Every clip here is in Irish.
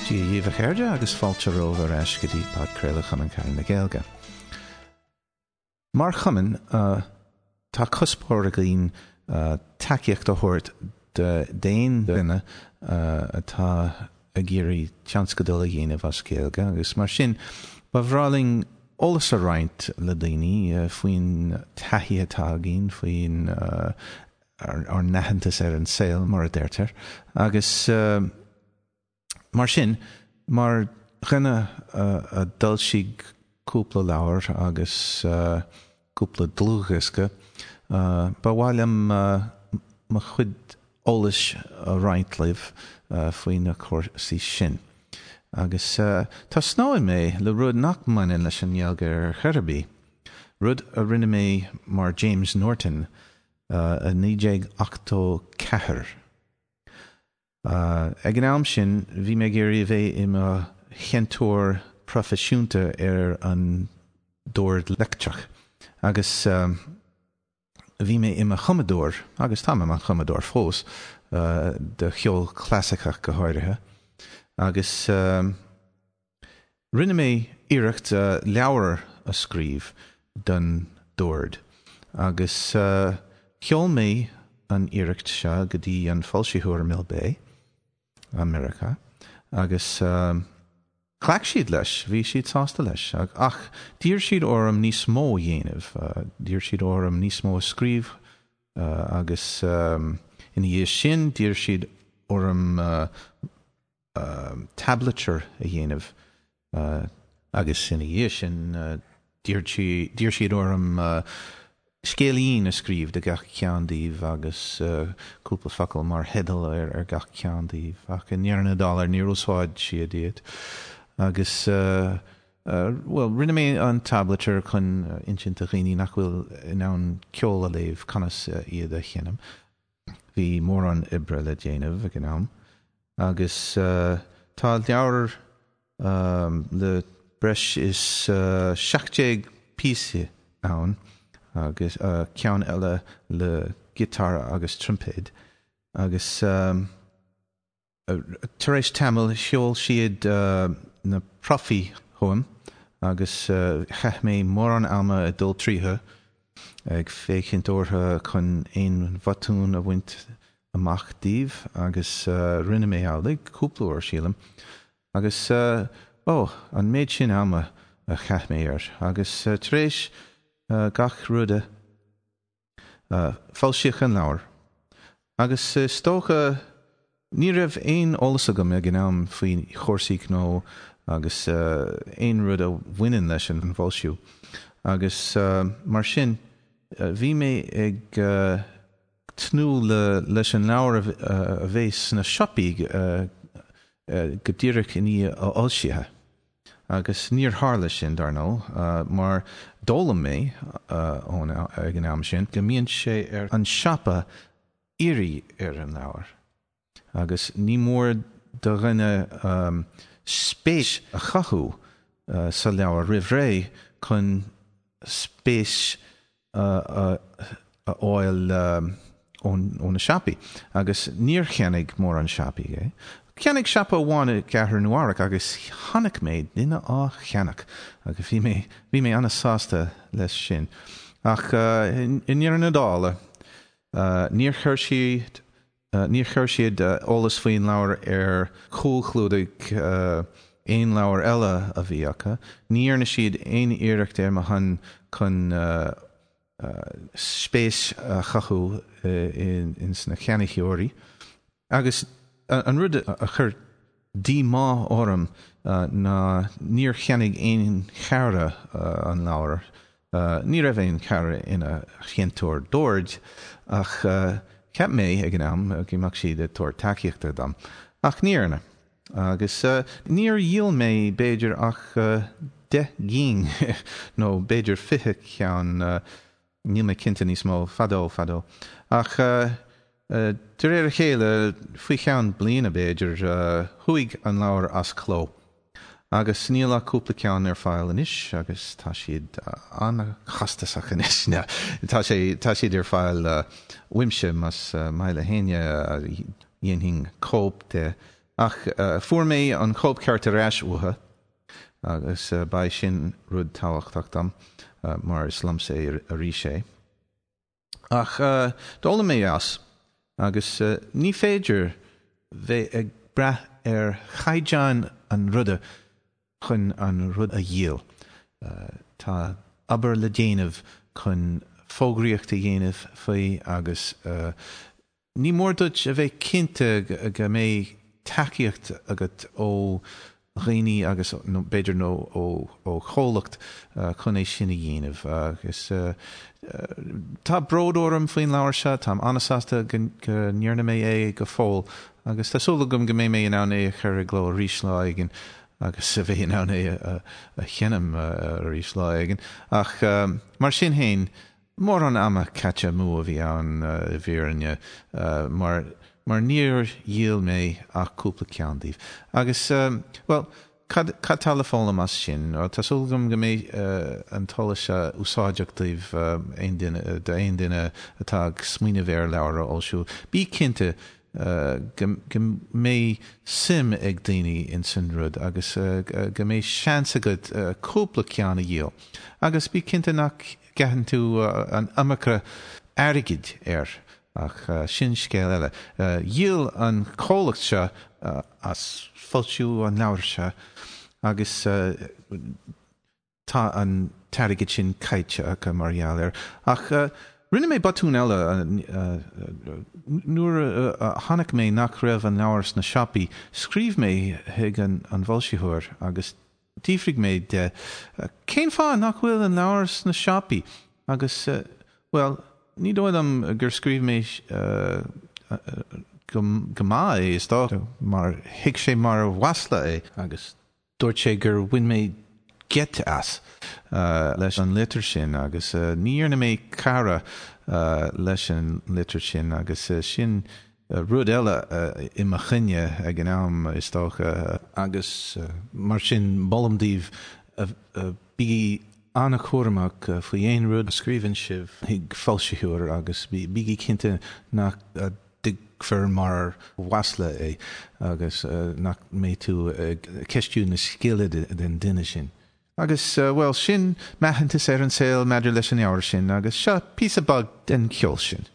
Dia dhaoibh a chairde agus fáilte romhaibh ar ais go dtí podchraoladh Chumann Carad na Gaeilge. Mar chumann, tá cuspóir againn tacaíocht a thabhairt d'aon duine atá ag iarraidh tionscadal a dhéanamh as Gaeilge agus mar sin ba bhreá linn eolas a roinnt le daoine faoin taithí atá againn, faoin ár n-aitheantas ar an saol, mar a deirtear. Agus mar sin, mar dhuine a d'fhoilsigh cúpla leabhar agus cúpla dlúthdhiosca, ba mhaith liom mo chuid eolais a roinnt libh faoi na cúrsaí sin. Agus tosnóidh mé le rud nach mbaineann leis an nGaeilge ar chor ar bith, rud a rinne mé mar James Norton i 1984. Ag an am sin, bhí mé ag iarraidh a bheith i mo sheinnteoir proifisiúnta ar an dord leictreach agus bhí mé i mo chumadóir, agus táim i mo chumadóir fós, de cheol clasaiceach go háirithe, agus. Rinne mé iarracht leabhar a scríobh don dord agus sheol mé an iarracht seo go dtí an foilsitheoir Mill Bay i Meiriceá agus ghlac siad leis, bhí siad sásta leis ach d'iarr siad orm níos mó a dhéanamh, d'iarr siad orm níos mó a scríobh agus ina dhiaidh sin d'iarr siad orm tablature a dhéanamh agus ina dhiaidh sin d'iarr siad orm scéilín a scríobh do gach ceann díobh agus cúpla focal mar theideal ar gach ceann díobh ach i ndeireadh na dála níor úsáid siad iad agus bhuel rinne mé an tablature chun insint do dhaoine nach bhfuil in ann ceol a léamh conas iad a sheinm. Bhí mórán oibre le déanamh ag an am agus tá leabhar le breis is 17 píosa ann agus ceann eile le giotár agus troimpéad agus Tar éis tamaill, sheol siad na profaí chugam agus chaith mé mórán ama ag dul tríothu, ag féachaint orthu chun aon bhotúin a bhaint amach díobh agus rinne mé amhlaidh cúpla uair, sílim. Agus, ó, an méid sin ama a chaith mé air. Agus tar éis gach ruda. Foilsíodh an leabhar agus is dócha ní raibh aon eolas agam ag an am faoi chúrsaí gnó agus aon rud a bhaineann leis an bhfoilsiú agus mar sin bhí mé ag tnúth leis an leabhar a bheith sna siopaí go díreach i ndiaidh a fhoilsithe. Agus níor tharla sin, dar ndóigh, mar d'fhoghlaim mé ón ag an am sin go mbíonn sé ar an siopa iarraidh ar an leabhar agus ní mór do dhuine spéis a chothú sa leabhar roimh ré chun spéis a fháil ó na siopaí agus níor cheannaigh mórán siopaí é. Cheannaigh siopa amháin i gcathair Nua-Eabhrac agus chonaic mé duine á cheannach agus bhí mé bhí mé an-sásta leis sin. Ach i ndeireadh na dála, níor chuir siad Níor chuir siad eolas faoin leabhar ar chúlchlúdaigh aon leabhar eile a bhí acu. Ní dhearna siad aon iarracht ar mo shon chun spéis a chothú ins na ceannaitheoirí. Agus an rud a chuir díomá orm ná níor cheannaigh aon chara an leabhar. Ní raibh aon chara ina sheinnteoir doird ach cheap mé ag an am go mbeadh siad ag tabhairt tacaíochta dom. Ach ní dhearna. Agus níor dhíol mé b'fhéidir ach 10 gcinn nó b'fhéidir 20 ceann, níl mé cinnte níos mó, fadó, fadó. Ach de réir a chéile, faoi cheann bliana b'fhéidir, chuaigh an leabhar as cló. Agus níl ach cúpla ceann ar fáil anois agus tá siad an-chostasach anois. Tá sé, tá siad ar fáil uaimse más maith le héinne, dhéanfainn cóip de. Ach fuair mé an chóipcheart ar ais uathu agus ba é sin rud tábhachtach dom mar is liomsa é arís é. Ach d'fhoghlaim mé as agus ní féidir bheith ag brath ar chaighdeán an ruda chun an rud a dhíol. Tá obair le déanamh chun fógraíocht a dhéanamh faoi agus ní mór duit a bheith cinnte go mbeidh tacaíocht agat ó dhaoine agus nó b'fhéidir nó ó chomhlacht chun é sin a dhéanamh. Agus tá bród orm faoin leabhar seo, táim an-sásta go ndearna mé é go fóill agus tá súil agam go mbeidh mé in ann é a chur i gcló arís lá éigin agus a bheith in ann é a sheinm arís lá éigin. Ach mar sin féin, mórán ama caite amú a bhí ann i bhfírinne mar mar níor dhíol mé ach cúpla ceann díobh. Agus, bhuel, cad cad tá le foghlaim as sin? Bhuel, tá súil agam go mbeidh an t-eolas seo úsáideach daoibh, aon duine, d'aon duine atá ag smaoineamh ar leabhar a fhoilsiú. Bí cinnte go go mbeidh suim ag daoine ins an rud agus go mbeidh seans agat cúpla ceann a dhíol. Agus bí cinnte nach gcaitheann tú an iomarca airgid air, ach sin scéal eile. Dhíol an comhlacht seo as foilsiú an leabhair seo agus tá an t-airgead sin caite acu mar gheall air. Ach rinne mé botún eile nuair a chonaic mé nach raibh an leabhar sna siopaí, scríobh mé chuig an bhfoilsitheoir agus D'fhiafraigh mé de cén fáth nach bhfuil an leabhar sna siopaí agus, bhuel, ní dóigh liom gur scríobh mé go maith é, is dócha, mar thuig sé mar mhasla é agus dúirt sé gur bhain mé geit as leis an litir sin agus ní dhearna mé cara leis an litir sin agus sin Rud eile i mo choinne ag an am, is dócha, agus mar sin molaim daoibh, bígí an-chúramach faoi aon rud a scríobhann sibh chuig foilsitheoir agus bígí cinnte nach dtuigfear mar mhasla é agus nach mbeidh tú ag ceistiú na scile den duine sin. Agus, bhuel, sin m'aitheantas ar an saol maidir leis an leabhar sin agus seo píosa beag den cheol sin.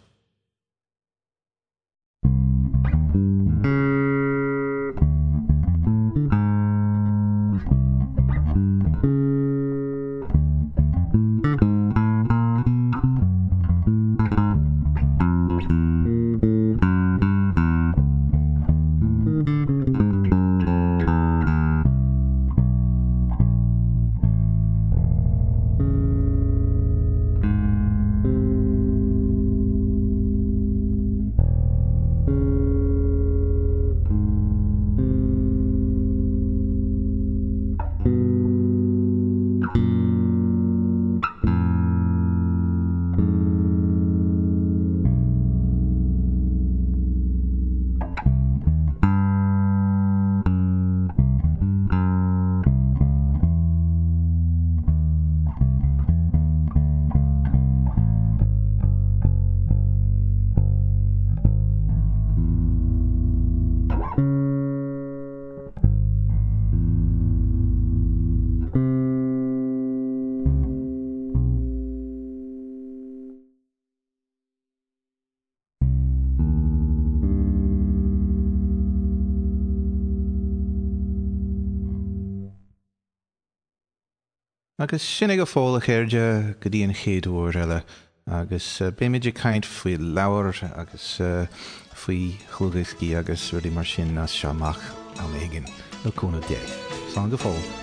Agus sin é go fóill, a chairde, go dtí an chéad uair eile, agus beimid ag caint faoi leabhair agus faoi dhlúthdhioscaí agus rudaí mar sin as seo amach am éigin, le cúnamh Dé. Slán go fóill.